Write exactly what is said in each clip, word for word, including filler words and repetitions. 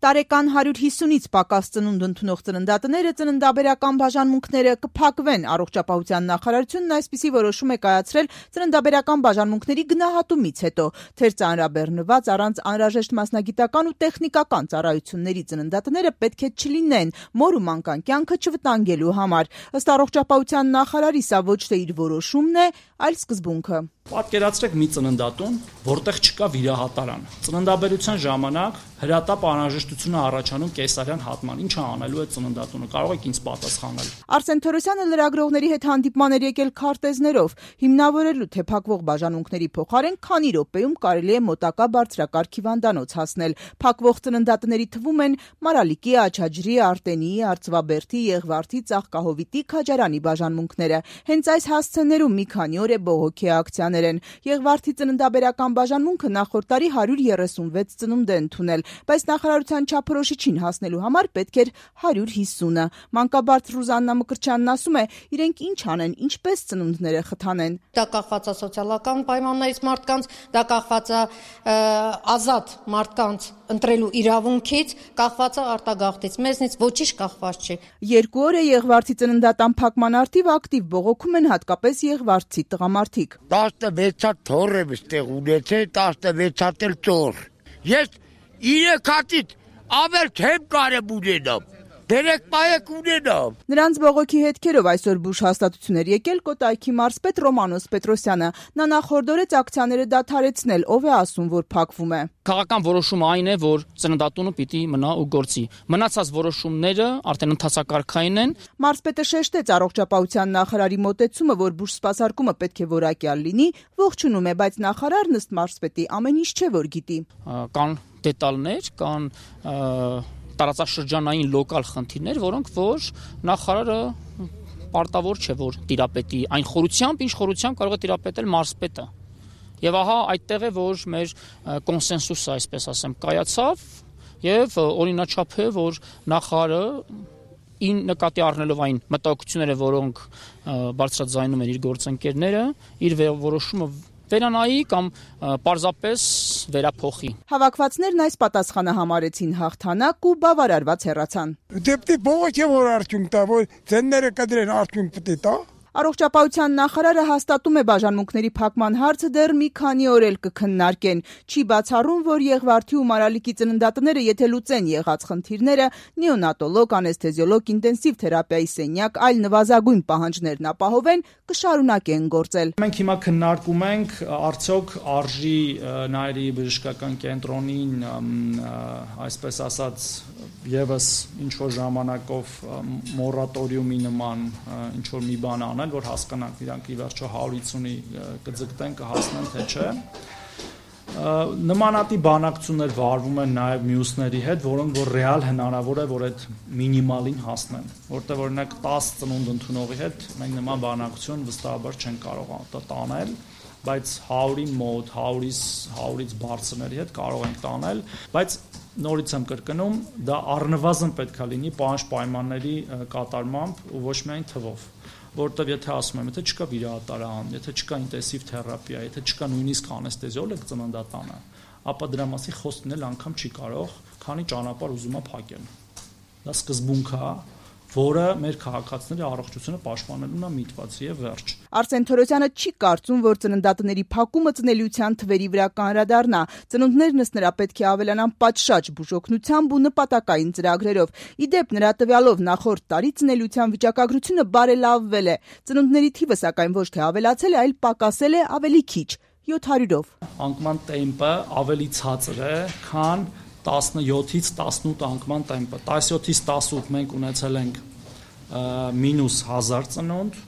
Տարեկան հարյուր հիսունից պակաս ծնունդ ընդունող ծննդատները ծննդաբերական բաժանմունքները կփակվեն։ Առողջապահության նախարարությունն այսպիսի որոշում է կայացրել ծննդաբերական բաժանմունքների գնահատումից հետո։ Թեր ծանրաբեռնված առանց անհրաժեշտ մասնագիտական ու տեխնիկական ծառայությունների ծննդատները պետք է չլինեն մոր ու մանկան կյանքը չվտանգելու համար։ Ըստ առողջապահության նախարարի սա ոչ թե իր որոշումն է, այլ սկզբունքը։ Պատկերացրեք մի ծննդատուն, որտեղ չկա վիրահատարան։ Ծննդաբերության ժամանակ հրատապ անհրաժեշտություն է առաջանում կեսարյան հատման։ Ինչ է անելու այդ ծննդատունը, կարող եք ինձ պատասխանել։ Արսեն Թորոսյանը լրագրողների հետ հանդիպման էր եկել քարտեզներով, հիմնավորելու թե փակվող բաժանմունքների փոխարեն քանի րոպեում կարելի է մոտակա բարձրակարգ հիվանդանոց հասնել։ Փակվող ծննդատների թվում են Մարալիկի, Աչաջրի, Արտենիի, Արծվաբերդի, Եղվարդի, Ծաղկահովիտի, Քաջարանի բաժանմունքները։ Հենց այս հասցեներում մի քանի օր է բողոքի ակցիաներ են։ Եղվարդի ծննդաբերական բաժանմունքը նախորդ տարի հարյուր երեսունվեց ծնունդ է ընդունել, բայց նախարարության չափորոշիչին հասնելու համար պետք էր հարյուր հիսունը։ Մանկաբարձ Ռուզաննա Մկրտչյանն ասում է, իրենք ինչ անեն, ինչպես ծնունդները խթանեն։ Դա կախված է սոցիալական պայմաններից մարդկանց, դա կախված է ազատ մարդկանց ընտրելու իրավունքից, կախված է արտագաղթից, մեզնից ոչինչ կախված չի։ Երկու օր է Եղվարդի ծննդատան փակման արդիվ ակտիվ բողոքում են հատկապես Եղվարդցի տղամարդիկ։ տասնվեց հատ թոռ եմ ստեղ ունեցել, տասնվեց հատ էլ ծոր։ Ես իրեք հատից ավել չեմ կարեմ ունենամ, դերեք պայեք ունենամ։ Նրանց բողոքի հետքերով այսօր բուժ հաստատություն էր եկել Կոտայքի մարզպետ Ռոմանոս Պետրոսյանը։ Նա նախորդորեց ակցիաները դադարեցնել, ով է ասում, որ փակվում է։ Քաղաքական որոշումը այն է, որ ծննդատունը պիտի մնա ու գործի։ Մնացած որոշումները արդեն ընթացակարգային են։ Մարզպետը շեշտեց առողջապահության նախարարի մոտեցումը, որ բուժ սպասարկումը պետք է որակյալ լինի, ողջունում է, բայց նախարարն ըստ մարզպետի ամեն ինչ չէ, որ գիտի։ Կան դետալներ, կան տարածաշրջանային լոկալ խնդիրներ, որոնք որ նախարարը պարտավոր չէ, որ տիրապետի այն խորությամբ, ինչ խորությամբ կարող է տիրապետել մարզպետը։ Եվ ահա այդտեղ է, որ մեր կոնսենսուսը, այսպես ասեմ, կայացավ եւ օրինաչափ է, որ նախարարը ին նկատի առնելով այն մտահոգությունները, որոնք բարձրաձայնում են իր գործընկերները, իր որոշումը վերանայի կամ պարզապես վերափոխի։ Հավաքվածներն այս պատասխանը համարեցին հաղթանակ ու բավարարված հեռացան։ Դեպի բողոքի որ արդյունք տա, որ ծնները կդրեն արդյունք պետք է տա։ Առողջապահության նախարարը հաստատում է բաժանմունքների փակման հարցը դեռ մի քանի օր էլ կքննարկեն։ Չի բացառում, որ Եղվարդի ու Մարալիկի ծննդատները եթե լուծեն եղած խնդիրները, նեոնատոլոգ, անեսթեզիոլոգ, ինտենսիվ թերապիայի սենյակ, այլ նվազագույն պահանջներն ապահովեն, կշարունակեն գործել։ Մենք հիմա քննարկում ենք արդյոք արժի Նայիրի բժշկական կենտրոնին, այսպես ասած, եւս ինչ որ ժամանակով մորատորիումի նման ինչ որ մի բան անել, որ հասկանանք իրանք ի վերջո հարյուր հիսունի կձգտեն, կհասնեն, թե չէ։ Նմանատիպ բանակցություններ վարվում են նաև մյուսների հետ, որոնք որ ռեալ հնարավոր է, որ այդ մինիմալին հասնեն, որտեղ օրինակ տասը ծնունդ ընդունողի հետ մենք նման բանակցություն վստահաբար չենք կարող տանել, բայց հարյուրի մոտ, հարյուրից բարձրների հետ կարող ենք տանել, բայց նորից եմ կրկնում, դա առնվազն պետք է լինի պահանջ պայմանների կատարմամբ ու ոչ միայն թվով, որտեղ եթե ասում եմ, եթե չկա վիրահատարան, եթե չկա ինտենսիվ թերապիա, եթե չկա նույնիսկ անեսթեզիոլոգ ծննդատանը, ապա դրա մասին խոսքնել անգամ չի կարող, քանի ճանապարհ ուզում է փակել։ Դա սկզբունք է, որը մեր քաղաքացիների առողջությունը պաշտպանելուն է միտված եւ վերջ։ Արսեն Թորոսյանը չի կարծում, որ ծննդատների փակումը ծնելիության թվերի վրա կանրադառնա։ Ծնունդներն ըստ նրա պետք է ավելանան պատշաճ բուժօգնությամբ ու նպատակային ծրագրերով։ Ի դեպ, նրա տվյալով նախորդ տարի ծնելիության վիճակագրությունը բարելավվել է։ Ծնունդների թիվը սակայն ոչ թե ավելացել է, այլ պակասել է ավելի քիչ՝ յոթ հարյուրով։ Անկման տեմպը ավելի ցածր է, քան տասնյոթից տասնութ անկման տեմպը։ տասնյոթից տասնութ մենք ունեցել ենք մինուս հազար ծնունդ,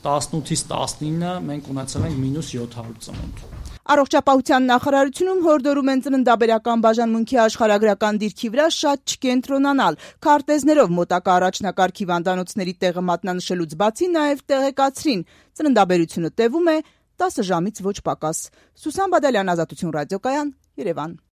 տասնութից տասնինը մենք ունեցել ենք մինուս յոթ հարյուր ծնունդ։ Առողջապահության նախարարությունում հորդորում են ծննդաբերական բաժանմունքի աշխարհագրական դիրքի վրա շատ չկենտրոնանալ։ Քարտեզներով մոտակա առաջնակարգ հիվանդանոցների տեղը մատնանշելուց բացի նաև տեղեկացրին՝ ծննդաբերությունը տևում է տասը ժամից ոչ պակաս։ Սուսան Բադալյան, Ազատություն ռադիոկայան, Երևան։